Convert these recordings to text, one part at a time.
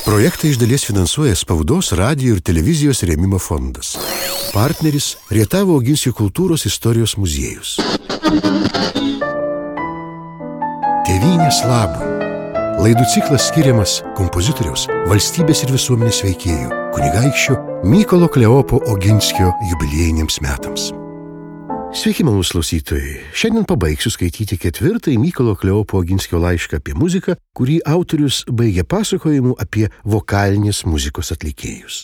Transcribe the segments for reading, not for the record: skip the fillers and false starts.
Projektą iš dalies finansuoja Spaudos, radijo ir televizijos rėmimo fondas. Partneris Rietavo Oginskio kultūros istorijos muziejus. Tėvynės labui. Laidų ciklas skiriamas kompozitoriaus, valstybės ir visuomenės veikėjų, kunigaikščio Mykolo Kleopo Oginskio jubiliejiniams metams. Sveiki, malonūs klausytojai. Šiandien pabaigsiu skaityti 4. Mykolo Kleopo Oginskio laišką apie muziką, kurį autorius baigia pasakojimu apie vokalinės muzikos atlikėjus.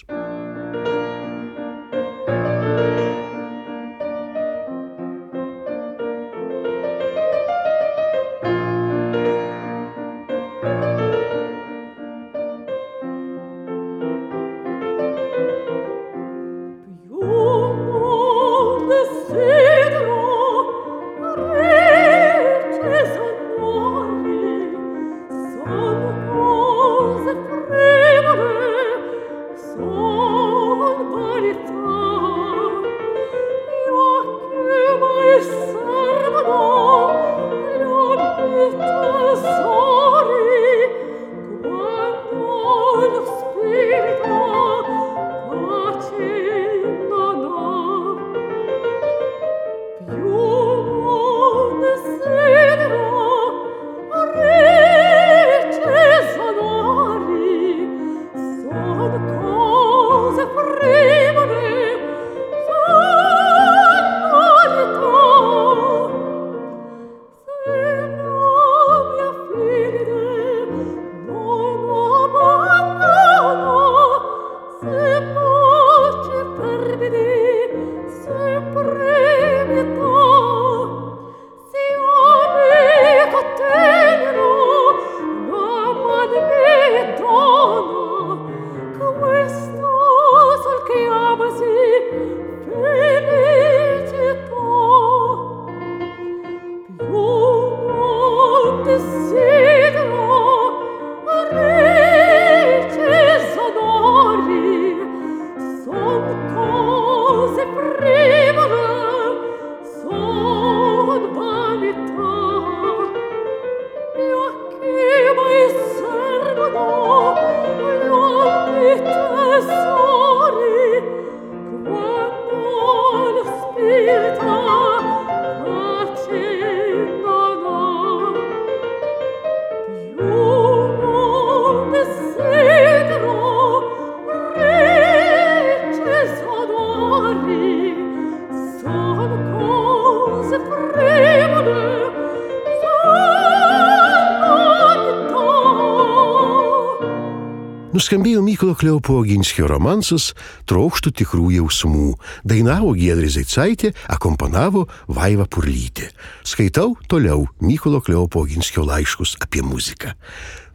Nuskambėjo Mykolo Kleopo Oginskio romansas Trokštu tikrų jausmų. Dainavo Giedrė Zeicaitė, akompanavo Vaiva Purlytė. Skaitau toliau Mykolo Kleopo Oginskio laiškus apie muziką.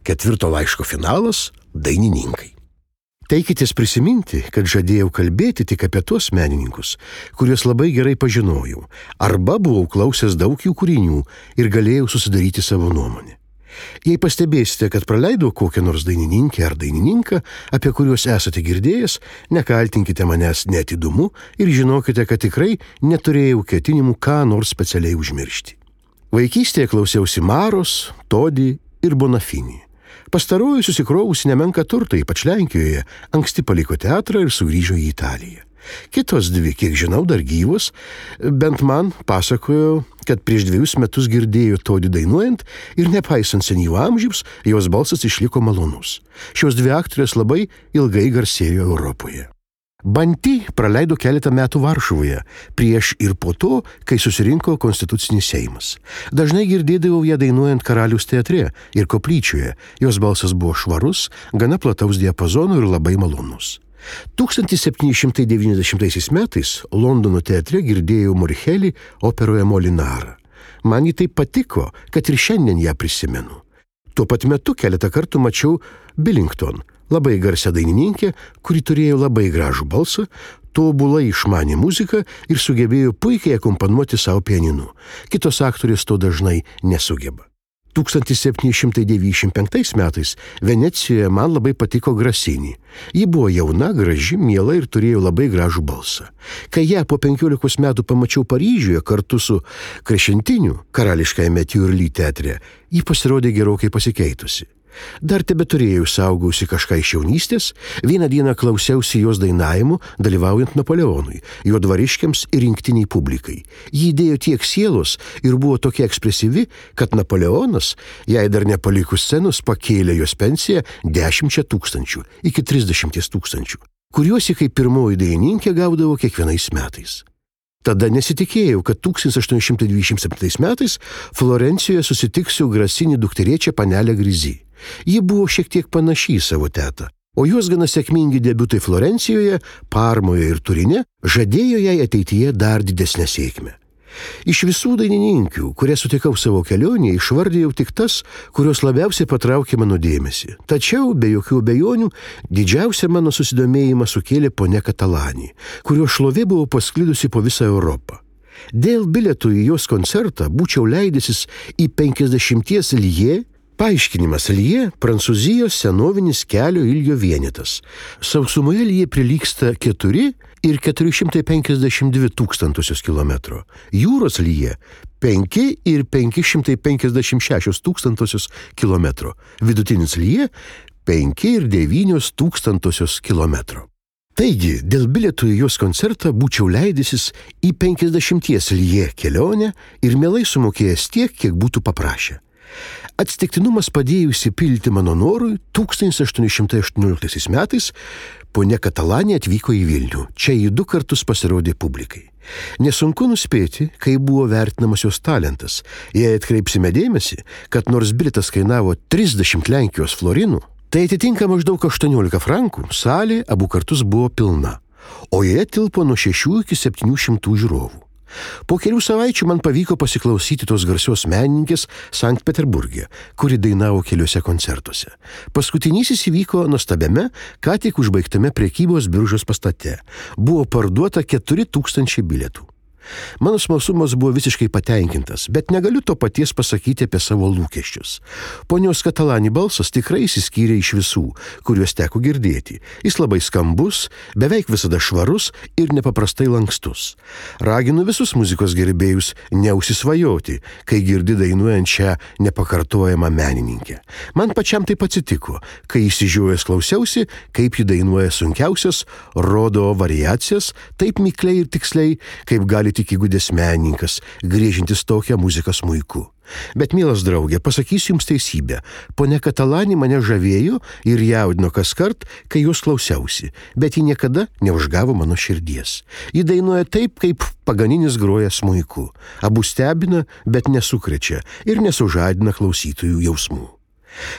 4. laiško finalas – dainininkai. Teikitės prisiminti, kad žadėjau kalbėti tik apie tuos menininkus, kuriuos labai gerai pažinojau, arba buvau klausęs daug jų kūrinių ir galėjau susidaryti savo nuomonę. Jei pastebėsite, kad praleidau kokią nors dainininkę ar dainininką, apie kuriuos esate girdėjęs, nekaltinkite manęs neatidumu ir žinokite, kad tikrai neturėjau ketinimų ką nors specialiai užmiršti. Vaikystėje klausiausi Maros, Todi ir Bonafini. Pastaroji susikrovusi nemenką turtą, ypač Lenkijoje, anksti paliko teatrą ir sugrįžo į Italiją. Kitos dvi, kiek žinau, dar gyvos, bent man pasakojo, kad prieš 2 metus girdėjo Todį dainuojant ir nepaisant senyvo amžiaus, jos balsas išliko malonus. Šios 2 aktorės labai ilgai garsėjo Europoje. Banti praleido keletą metų Varšuvoje, prieš ir po to, kai susirinko Konstitucinis Seimas. Dažnai girdėdavau ją dainuojant Karaliaus teatre ir koplyčioje. Jos balsas buvo švarus, gana plataus diapazono ir labai malonus. 1790 metais Londono teatre girdėjau Morichelį operoje Molinarą. Man ji taip patiko, kad ir šiandien ją prisimenu. Tuo pat metu keletą kartų mačiau Billington, labai garsią dainininkę, kuri turėjo labai gražų balsą, tobulai išmanė muziką ir sugebėjo puikiai akompanuoti savo pianinu. Kitos aktorės to dažnai nesugeba. 1795 metais Venecijoje man labai patiko Grasini. Ji buvo jauna, graži, miela ir turėjo labai gražų balsą. Kai ją po 15 metų pamačiau Paryžiuje kartu su Krešentiniu, karališkajame Tiurly teatre, ji pasirodė gerokai pasikeitusi. Dar tebeturėjau saugausi kažką iš jaunystės, vieną dieną klausiausi jos dainavimo, dalyvaujant Napoleonui, jo dvariškiams ir rinktiniai publikai. Ji įdėjo tiek sielos ir buvo tokia ekspresyvi, kad Napoleonas, jai dar nepalikus scenos, pakėlė jos pensiją 10 000 iki 30 000, kuriuos ji kaip pirmoji dainininkė gaudavo kiekvienais metais. Tada nesitikėjau, kad 1827 metais Florencijoje susitiksiu Grasinį dukterėčią panelę Grizi. Ji buvo šiek tiek panaši į savo tetą, o jos gana sėkmingi debiutai Florencijoje, Parmoje ir Turine žadėjo jai ateityje dar didesnę sėkmę. Iš visų dainininkių, kurias sutikau savo kelionėje, išvardėjau tik tas, kurios labiausiai patraukė mano dėmesį. Tačiau, be jokių abejonių, didžiausią mano susidomėjimą sukėlė ponia Catalani, kurio šlovė buvo pasklidusi po visą Europą. Dėl bilietų į jos koncertą būčiau leidęsis į 50 liė. Paaiškinimas: liė – Prancūzijos senovinis kelio ilgio vienetas. Sausumoje liė prilygsta 4 ir 452 tūkstantosios kilometro. Jūros liė – 5 ir 556 tūkstantosios kilometro. Vidutinis liė – 5 ir 9 tūkstantosios kilometro. Taigi, dėl bilietų į jos koncertą būčiau leidęsis į 50 liė kelionę ir mielai sumokėjęs tiek, kiek būtų paprašę. Atsitiktinumas padėjo įsipildyti mano norui. 1818 metais ponia Catalani atvyko į Vilnių. Čia ji 2 kartus pasirodė publikai. Nesunku nuspėti, kaip buvo vertinamas jos talentas. Jei atkreipsime dėmesį, kad nors bilietas kainavo 30 Lenkijos florinų, tai atitinka maždaug 18 frankų, salė abu kartus buvo pilna, o joje tilpo nuo 6 iki 700 žiūrovų. Po kelių savaičių man pavyko pasiklausyti tos garsios menininkės Sankt Peterburge, kuri dainavo keliuose koncertuose. Paskutinysis įvyko nuostabiame, ką tik užbaigtame prekybos biržos pastate. Buvo parduota 4000 bilietų. Mano smalsumas buvo visiškai patenkintas, bet negaliu to paties pasakyti apie savo lūkesčius. Ponios Catalani balsas tikrai išsiskyrė iš visų, kuriuos teko girdėti. Jis labai skambus, beveik visada švarus ir nepaprastai lankstus. Raginu visus muzikos gerbėjus neusisvajoti, kai girdi dainuojant šią nepakartojamą menininkę. Man pačiam taip atsitiko, kai išsižiojęs klausiausi, kaip ji dainuoja sunkiausias rodo variacijas, taip mikliai ir tiksliai, kaip gali tik įgudęs menininkas, griežintis tokią muziką smuiku. Bet, mielas draugė, pasakysiu jums teisybę. Ponia Catalani mane žavėjo ir jaudino kaskart, kai jos klausiausi, bet ji niekada neužgavo mano širdies. Ji dainuoja taip, kaip Paganinis groja smuiku. Abu stebina, bet nesukrečia ir nesužadina klausytojų jausmų.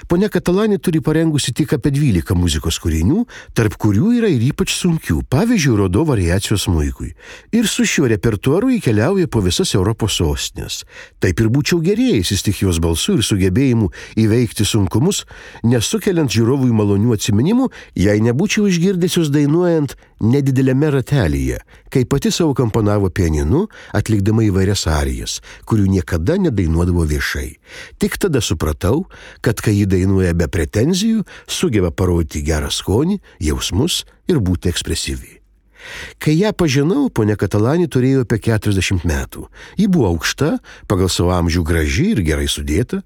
Ponia Catalani turi parengusi tik apie 12 muzikos kūrinių, tarp kurių yra ir ypač sunkių, pavyzdžiui, rodo variacijos smuikui. Ir su šiuo repertuaru įkeliauja po visas Europos sostinės. Taip ir būčiau gerėjęsis tik jos balsu ir sugebėjimu įveikti sunkumus, nesukeliant žiūrovui malonių atsiminimų, jei nebūčiau išgirdęs jos dainuojant nedidelėme ratelyje, kai pati savo komponavo pianinu, atlikdama įvairias arijas, kurių niekada nedainuodavo viešai. Tik tada supratau, kad kai ji dainuoja be pretenzijų, sugeba parodyti gerą skonį, jausmus ir būti ekspresyvi. Kai ją pažinau, ponia Catalani turėjo apie 40 metų. Ji buvo aukšta, pagal savo amžių graži ir gerai sudėta.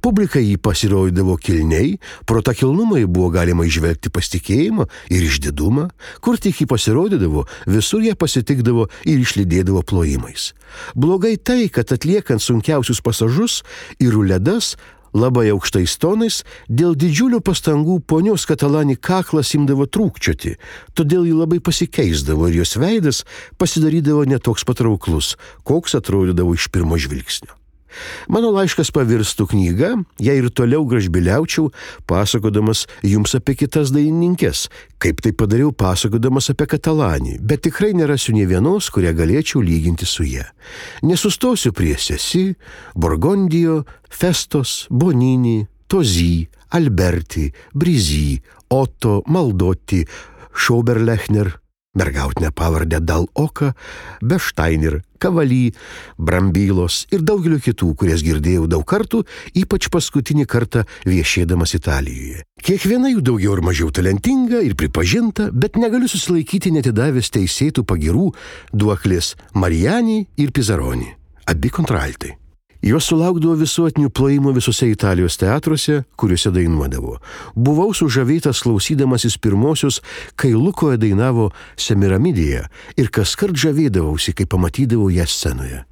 Publika jį pasirodydavo kilniai, pro tą kilnumą jį buvo galima įžvelgti pasitikėjimą ir išdidumą. Kur tik jį pasirodydavo, visur ją pasitikdavo ir išlydėdavo plojimais. Blogai tai, kad atliekant sunkiausius pasažus ir ruledas, labai aukštais tonais, dėl didžiulių pastangų ponios Catalani kaklas imdavo trūkčioti, todėl ji labai pasikeisdavo ir jos veidas pasidarydavo netoks patrauklus, koks atrodydavo iš pirmo žvilgsnio. Mano laiškas pavirstų knyga, jei ir toliau gražbiliaučiau, pasakodamas jums apie kitas dainininkes, kaip tai padariau pasakodamas apie Catalani, bet tikrai nerasiu nė vienos, kurią galėčiau lyginti su ja. Nesustosiu prie Sesi, Borgondijo, Festos, Bonini, Tozy, Alberti, Brizy, Otto, Maldotti, Schoberlechner, mergautinę pavardę Dal-Oka, Beštainer, Kavaly, Brambylos ir daugelio kitų, kurias girdėjau daug kartų, ypač paskutinį kartą viešėdamas Italijoje. Kiekviena jų daugiau ar mažiau talentinga ir pripažinta, bet negaliu susilaikyti netidavęs teisėtų pagirų duoklės Mariani ir Pizzaroni, abi kontraltai. Jos sulaukdavo visuotinių plojimų visose Italijos teatruose, kuriuose dainuodavo. Buvau sužavėtas klausydamasis pirmosios, kai Lukoje dainavo Semiramidėje ir kaskart žavėdavausi, kai pamatydavau ją scenoje.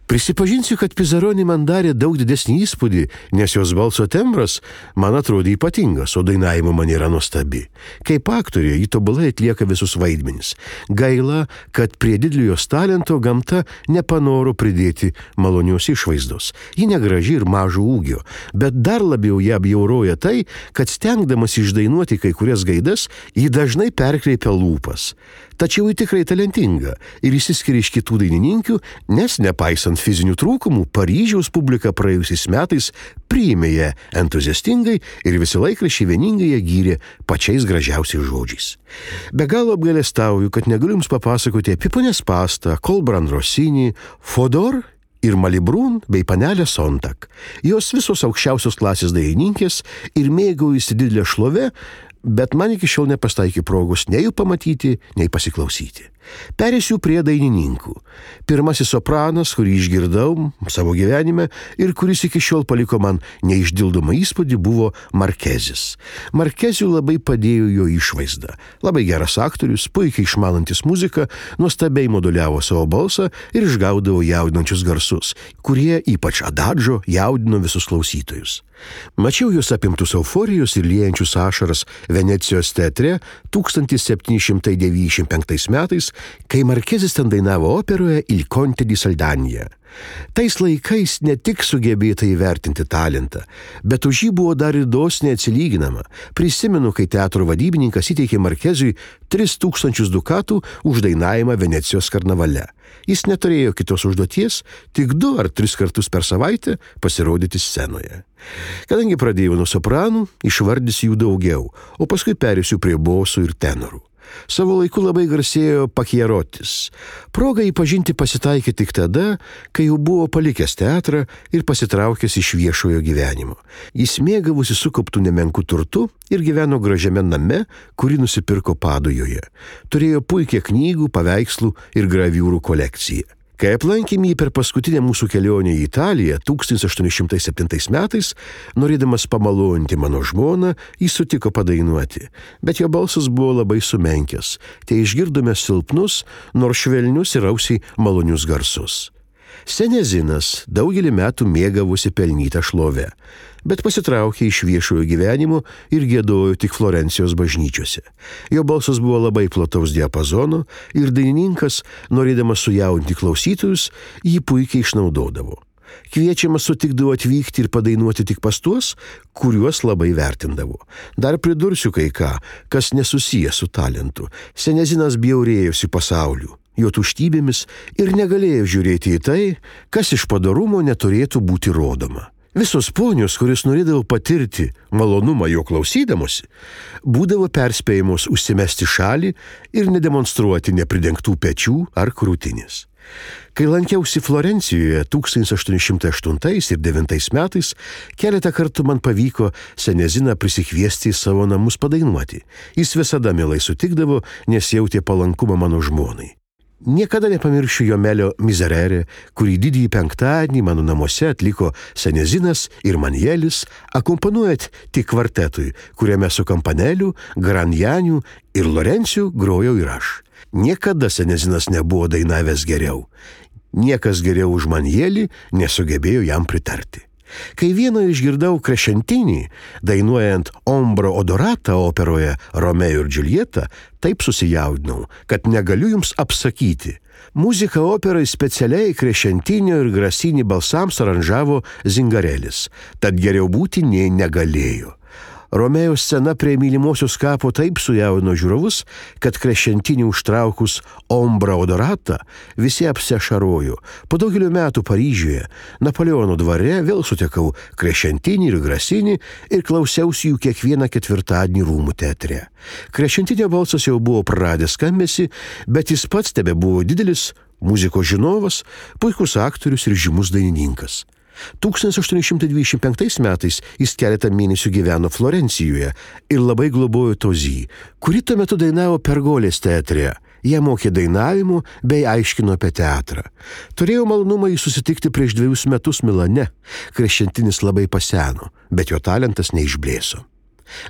Prisipažinsiu, kad Pizzaroni man darė daug didesnį įspūdį, nes jos balso tembras man atrodė ypatingas, o dainavimo maniera nuostabi. Kaip aktorė, ji tobulai atlieka visus vaidmenis. Gaila, kad prie didelio jos talento gamta nepanoro pridėti malonios išvaizdos. Ji negraži ir mažo ūgio, bet dar labiau ją bjauroja tai, kad stengdamas išdainuoti kai kurias gaidas, ji dažnai perkreipia lūpas. Tačiau ji tikrai talentinga ir išsiskiria iš kitų dainininkių, nes nepaisant fizinių trūkumų, Paryžiaus publika praėjusiais metais priėmė ją entuziastingai ir visi laikraščiai vieningai ją gyrė pačiais gražiausiais žodžiais. Be galo apgailestauju, kad negaliu jums papasakoti apie ponią Spastą, Kolbran Rosinį, Fodor ir Malibrun bei panelę Sontak. Jos visos aukščiausios klasės dainininkės ir mėgaujasi didelę šlovę, bet man iki šiol nepastaikė progos nei jų pamatyti, nei pasiklausyti. Perėsiu prie dainininkų. Pirmasis sopranas, kurį išgirdau savo gyvenime ir kuris iki šiol paliko man neišdildomą įspūdį, buvo Markezis. Markeziui labai padėjo jo išvaizda. Labai geras aktorius, puikiai išmanantis muziką, nuostabiai moduliavo savo balsą ir išgaudavo jaudinančius garsus, kurie, ypač adadžo, jaudino visus klausytojus. Mačiau juos apimtus euforijos ir liejančius ašaras Venecijos teatre 1795 metais, kai Markezis ten dainavo operoje Il Conte di Saldagna. Tais laikais ne tik sugebėta įvertinti talentą, bet už jį buvo dar ir dosniai atsilyginama. Prisimenu, kai teatro vadybininkas įteikė Markeziui 3000 dukatų už dainavimą Venecijos karnavale. Jis neturėjo kitos užduoties, tik 2 ar 3 kartus per savaitę pasirodyti scenoje. Kadangi pradėjau nuo sopranų, išvardysiu jų daugiau, o paskui perėsiu prie bosų ir tenorų. Savo laiku labai garsėjo Pachiarotis. Proga jį pažinti pasitaikė tik tada, kai jau buvo palikęs teatrą ir pasitraukęs iš viešojo gyvenimo. Jis mėgavosi sukauptų nemenkų turtų ir gyveno gražiame name, kurį nusipirko Padujoje. Turėjo puikią knygų, paveikslų ir graviūrų kolekciją. Kai aplankėme jį per paskutinę mūsų kelionę į Italiją 1807 metais, norėdamas pamaloninti mano žmoną, jis sutiko padainuoti, bet jo balsas buvo labai sumenkęs, tai išgirdome silpnus, nors švelnius ir ausiai malonius garsus. Senezinas daugelį metų mėgavosi pelnytą šlovę, bet pasitraukė iš viešojo gyvenimo ir giedojo tik Florencijos bažnyčiose. Jo balsas buvo labai plataus diapazono ir dainininkas, norėdamas sujaudinti klausytojus, jį puikiai išnaudodavo. Kviečiamas sutikdavo atvykti ir padainuoti tik pas tuos, kuriuos labai vertindavo. Dar pridursiu kai ką, kas nesusiję su talentu. Senezinas bjaurėjosi pasauliu, jo tuštybėmis ir negalėjo žiūrėti į tai, kas iš padorumo neturėtų būti rodoma. Visos ponios, kuris norėdavo patirti malonumą jo klausydamosi, būdavo perspėjamos užsimesti šalį ir nedemonstruoti nepridengtų pečių ar krūtinės. Kai lankiausi Florencijoje 1808 ir 9 metais, keletą kartų man pavyko Seneziną prisikviesti į savo namus padainuoti. Jis visada mielai sutikdavo, nes jautė palankumą mano žmonai. Niekada nepamiršiu Jomelio Miserere, kurį didįjį penktadienį mano namuose atliko Senezinas ir Manielis, akompanuojant tik kvartetui, kuriame su Kampaneliu, Granjaniu ir Lorenciu grojau ir aš. Niekada Senezinas nebuvo dainavęs geriau. Niekas geriau už Manielį nesugebėjo jam pritarti. Kai vieną išgirdau Crescentinį, dainuojant Ombra Odorata operoje Romeo ir Džiuljeta, taip susijaudinau, kad negaliu jums apsakyti. Muziką operai specialiai Crescentinio ir Grasini balsams aranžavo Zingarelis, tad geriau būti nei negalėjo. Romeo scena prie mylimosios kapo taip sujaudino žiūrovus, kad Crescentinį užtraukus Ombra Odorata visi apsiašarojo. Po daugelio metų Paryžiuje, Napoleono dvare vėl sutikau Crescentinį ir Grasini ir klausiausi jų kiekvieną ketvirtadienį Rūmų teatre. Crescentinio balsas jau buvo praradęs skambesį, bet jis pats tebebuvo didelis muzikos žinovas, puikus aktorius ir žymus dainininkas. 1825 metais jis keletą mėnesių gyveno Florencijoje ir labai globojo Tozį, kuri tuo metu dainavo Pergolės teatre. Jie mokė dainavimo bei aiškino apie teatrą. Turėjau malonumą jį susitikti prieš 2 metus Milane. Kreščentinis labai paseno, bet jo talentas neišblėso.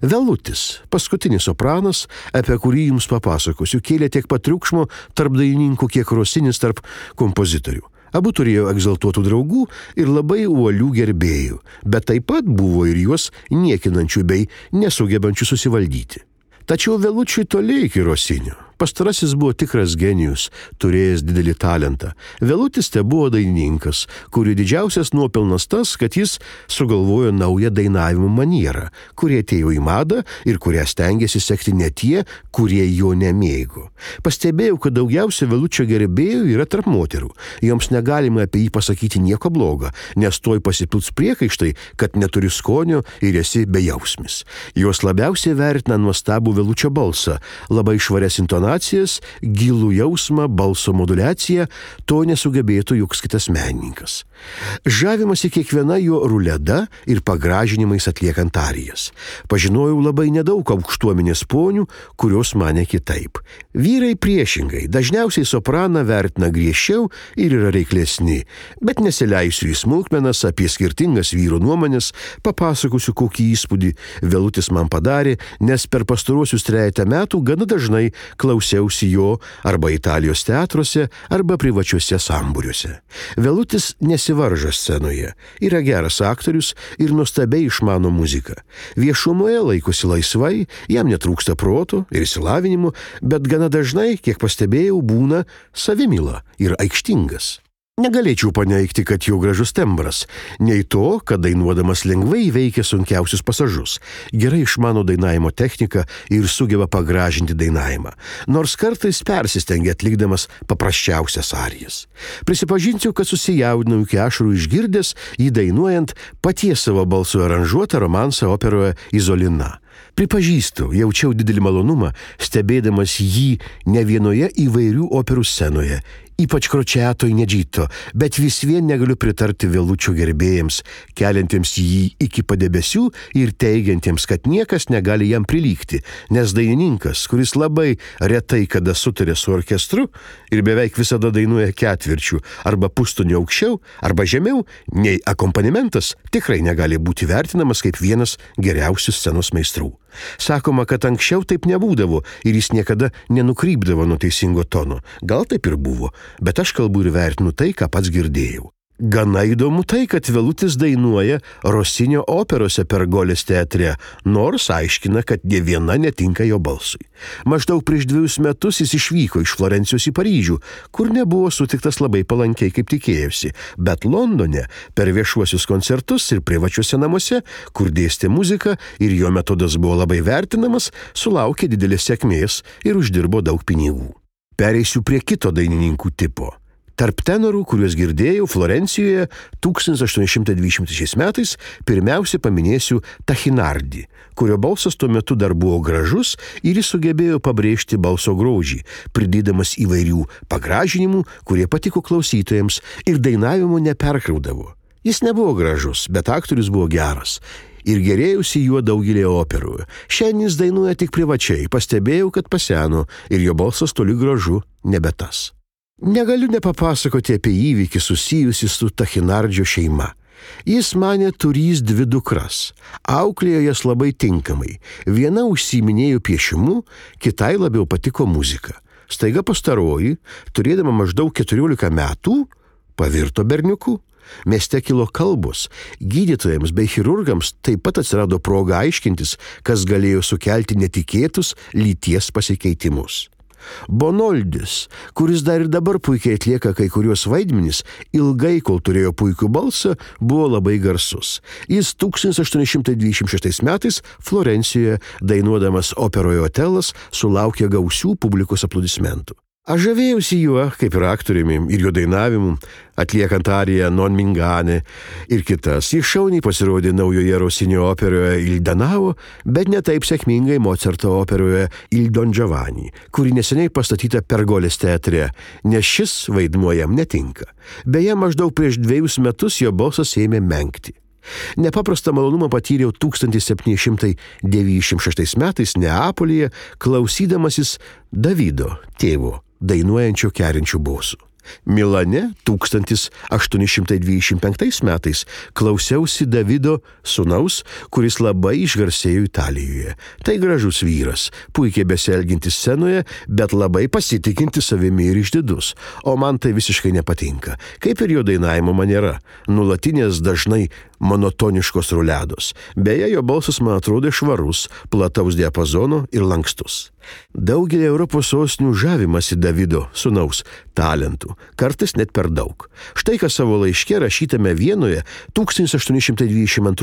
Velutis, paskutinis sopranas, apie kurį jums papasakosiu, kėlė tiek pat triukšmo tarp dainininkų, kiek Rosinis tarp kompozitorių. Abu turėjo egzaltuotų draugų ir labai uolių gerbėjų, bet taip pat buvo ir juos niekinančių bei nesugebančių susivaldyti. Tačiau Velučiui toli iki Rosinio. Pastarasis buvo tikras genijus, turėjęs didelį talentą. Velutis te buvo dainininkas, kurio didžiausias nuopelnas tas, kad jis sugalvojo naują dainavimo manierą, kurie atėjo į madą ir kurią stengiasi sekti ne tie, kurie jo nemėgo. Pastebėjau, kad daugiausia Velučio gerbėjų yra tarp moterų. Joms negalima apie jį pasakyti nieko blogo, nes toj pasipils priekaištai, kad neturi skonio ir esi bejausmis. Jos labiausiai vertina nuostabų Velučio balsą, labai švarias intonacijas, gilų jausmą, balso moduliaciją, to nesugebėtų joks kitas menininkas. Žavimasi kiekviena jo ruleda ir pagražinimais atliekant arijas. Pažinojau labai nedaug aukštuomenės ponių, kurios mane kitaip. Vyrai priešingai, dažniausiai sopraną vertina griežčiau ir yra reiklesni, bet nesileisiu į smulkmenas apie skirtingas vyrų nuomonės, papasakosiu, kokį įspūdį Velutis man padarė, nes per pastaruosius 3 metų gana dažnai klausiausi jo arba Italijos teatruose, arba privačiuose sambūriuose. Velutis nesivaržo scenoje, yra geras aktorius ir nuostabiai išmano muziką. Viešumoje laikosi laisvai, jam netrūksta proto ir išsilavinimo, bet gana dažnai, kiek pastebėjau, būna savimyla ir aikštingas. Negalėčiau paneigti, kad jo gražus tembras, nei to, kad dainuodamas lengvai įveikia sunkiausius pasažus, gerai išmano dainavimo techniką ir sugeba pagražinti dainavimą, nors kartais persistengia atlikdamas paprasčiausias arijas. Prisipažinsiu, kad susijaudinau iki ašarų išgirdęs jį dainuojant paties savo balsu aranžuotą romansą operoje Izolina. Pripažįstu, jaučiau didelį malonumą, stebėdamas jį ne vienoje įvairių operų scenoje, ypač Kročiato Inedžito, bet vis vien negaliu pritarti Velučio gerbėjams, keliantiems jį iki padebesių ir teigiantiems, kad niekas negali jam prilygti, nes dainininkas, kuris labai retai kada sutarė su orkestru ir beveik visada dainuoja ketvirčių arba pustonių aukščiau arba žemiau, nei akompanimentas tikrai negali būti vertinamas kaip vienas geriausių scenos meistrų. Sakoma, kad anksčiau taip nebūdavo ir jis niekada nenukrypdavo nuo teisingo tono. Gal taip ir buvo, bet aš kalbu ir vertinu tai, ką pats girdėjau. Gana įdomu tai, kad Velutis dainuoja Rosinio operose Pergolės teatre, nors aiškina, kad nė viena netinka jo balsui. Maždaug prieš 2 metus jis išvyko iš Florencijos į Paryžių, kur nebuvo sutiktas labai palankiai, kaip tikėjosi, bet Londone per viešuosius koncertus ir privačiuose namuose, kur dėstė muziką ir jo metodas buvo labai vertinamas, sulaukė didelės sėkmės ir uždirbo daug pinigų. Pereisiu prie kito dainininkų tipo. Tarp tenorų, kuriuos girdėjau Florencijoje 1823 metais, pirmiausia paminėsiu Tachinardį, kurio balsas tuo metu dar buvo gražus ir jis sugebėjo pabrėžti balso grožį, pridėdamas įvairių pagražinimų, kurie patiko klausytojams ir dainavimo neperkraudavo. Jis nebuvo gražus, bet aktorius buvo geras ir gerėjusi juo daugelį operų. Šiandien jis dainuoja tik privačiai, pastebėjau, kad paseno ir jo balsas toli gražu nebe tas. Negaliu nepapasakoti apie įvykį susijusi su Tachinardžio šeima. Jis manė turys 2 dukras, auklėjo jas labai tinkamai. Viena užsiiminėjo piešimu, kitai labiau patiko muzika. Staiga pastaroji, turėdama maždaug 14 metų, pavirto berniuku. Mieste kilo kalbos, gydytojams bei chirurgams taip pat atsirado proga aiškintis, kas galėjo sukelti netikėtus lyties pasikeitimus. Bonoldis, kuris dar ir dabar puikiai atlieka kai kurios vaidmenys, ilgai, kol turėjo puikų balsą, buvo labai garsus. Jis 1826 metais Florencijoje, dainuodamas operoje Otelas, sulaukė gausių publikos aplodismentų. Aš žavėjausi juo, kaip ir aktoriumi, ir jo dainavimu, atliekant ariją Non Mingane ir kitas. Jis šauniai pasirodė naujoje Rosinio operoje Il Danavo, bet ne taip sėkmingai Mocarto operoje Il Don Giovanni, kuri neseniai pastatyta Pergolės teatre, nes šis vaidmuo jam netinka. Beje, maždaug prieš 2 metus jo balsas ėmė menkti. Nepaprastą malonumą patyriau 1796 metais Neapolyje, klausydamasis Davido, tėvo dainuojančio kerinčių bosų. Milane 1825 metais klausiausi Davido sūnaus, kuris labai išgarsėjo Italijoje. Tai gražus vyras, puikiai besielgintis scenoje, bet labai pasitikintis savimi ir išdidus. O man tai visiškai nepatinka, kaip ir jo dainavimo maniera, nulatinės dažnai monotoniškos ruledos. Beje, jo balsas man atrodė švarus, plataus diapazono ir lankstus. Daugelį Europos sostinių žavimasi Davido sūnaus talentų, kartais net per daug. Štai ką savo laiške rašytame Vienoje 1822 m.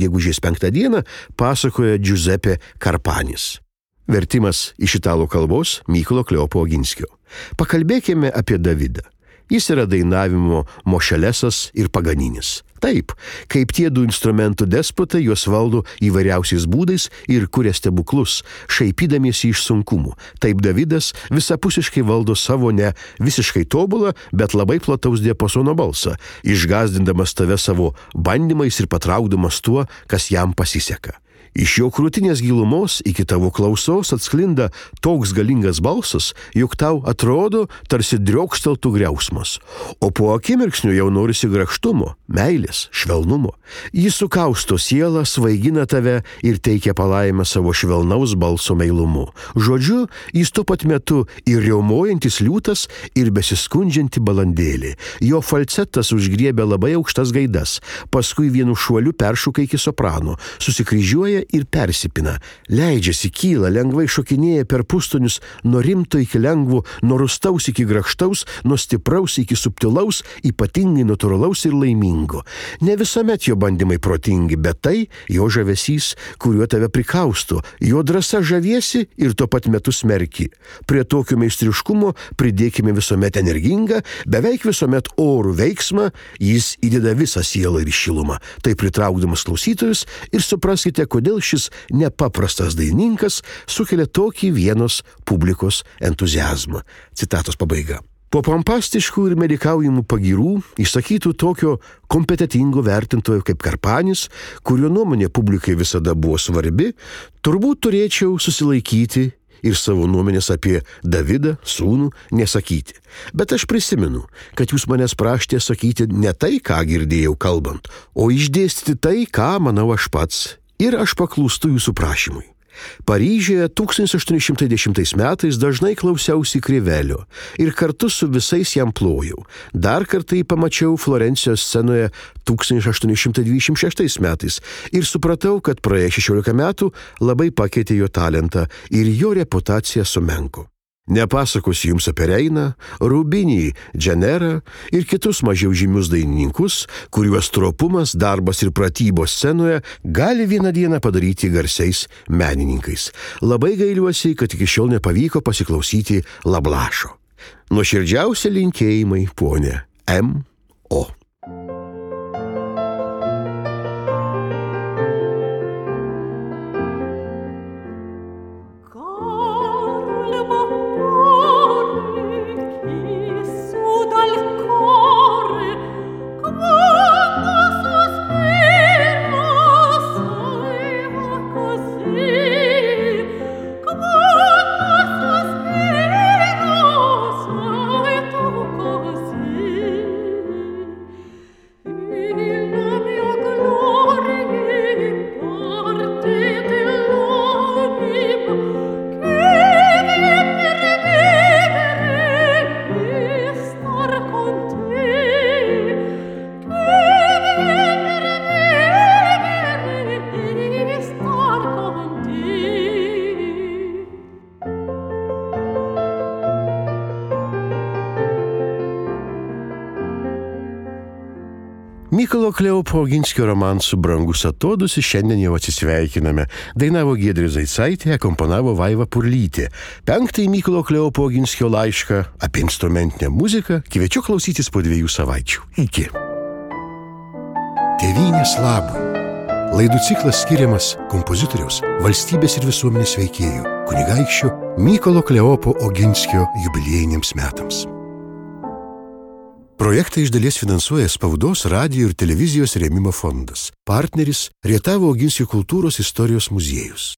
gegužės 5 d. pasakoja Giuseppe Carpanis. Vertimas iš italų kalbos Mykolo Kleopo Oginskio. Pakalbėkime apie Davidą. Jis yra dainavimo Mošelesas ir Paganinis. Taip, kaip tie du instrumentų despotai, juos valdo įvairiausiais būdais ir kuria stebuklus, šaipydamiesi iš sunkumų. Taip Davidas visapusiškai valdo savo ne visiškai tobulą, bet labai plataus diapasono balsą, išgąsdindamas tave savo bandymais ir patraukdamas tuo, kas jam pasiseka. Iš jo krūtinės gilumos iki tavo klausos atsklinda toks galingas balsas, jog tau atrodo, tarsi driokšteltų griausmas. O po akimirksniu jau norisi grakštumo, meilės, švelnumo. Jis sukausto sielą, svaigina tave ir teikia palaimą savo švelnaus balso meilumu. Žodžiu, jis tuo pat metu ir riaumojantis liūtas, ir besiskundžianti balandėlė. Jo falcetas užgriebia labai aukštas gaidas, paskui vienu šuoliu peršoka iki soprano, susikryžiuoja ir persipina, leidžiasi, kyla, lengvai šokinėja per pustonius nuo rimto iki lengvo, nuo rustaus iki grakštaus, nuo stipraus iki subtilaus, ypatingai natūralaus ir laimingo. Ne visuomet jo bandymai protingi, bet tai jo žavesys, kuriuo tave prikausto, jo drąsa žaviesi ir tuo pat metu smerki. Prie tokio meistriškumo pridėkime visuomet energingą, beveik visuomet orų veiksmą, jis įdeda visą sielą ir šilumą. Tai pritraukdamas klausytojus ir supraskite, kodėl šis nepaprastas dainininkas sukelia tokį Vienos publikos entuziazmą. Citatos pabaiga. Po pompastiškų ir medikaujimų pagyrų, išsakytų tokio kompetitingo vertintojo kaip Carpanis, kurio nuomonė publikai visada buvo svarbi, turbūt turėčiau susilaikyti ir savo nuomonės apie Davidą, sūnų, nesakyti. Bet aš prisimenu, kad jūs manęs prašėte sakyti ne tai, ką girdėjau kalbant, o išdėstyti tai, ką manau aš pats. Ir aš paklūstu jūsų prašymui. Paryžiuje 1810 metais dažnai klausiausi Krivelio ir kartu su visais jam plojau. Dar kartą jį pamačiau Florencijos scenoje 1826 metais ir supratau, kad praėję 16 metų labai pakeitė jo talentą ir jo reputacija sumenko. Nepasakosiu jums apie Reiną, Rubinį, Dženerą ir kitus mažiau žymius dainininkus, kuriuos stropumas, darbas ir pratybos scenoje gali vieną dieną padaryti garsiais menininkais. Labai gailiuosi, kad iki šiol nepavyko pasiklausyti Lablašo. Nuoširdžiausi linkėjimai, ponė M.O. Mykolo Kleopo Oginskio romansų Brangus atodūsis šiandien jau atsisveikiname. Dainavo Giedrė Zaicaitė, akompanavo Vaiva Purlytė. 5. Mykolo Kleopo Oginskio laišką apie instrumentinę muziką kviečiu klausytis po 2 savaičių. Iki. Tėvynės labui. Laidų ciklas skiriamas kompozitoriaus, valstybės ir visuomenės veikėjų, kunigaikščio Mykolo Kleopo Oginskio jubiliejiniams metams. Projektą iš dalies finansuoja Spaudos, radijo ir televizijos rėmimo fondas. Partneris Rietavo Oginskio kultūros istorijos muziejus.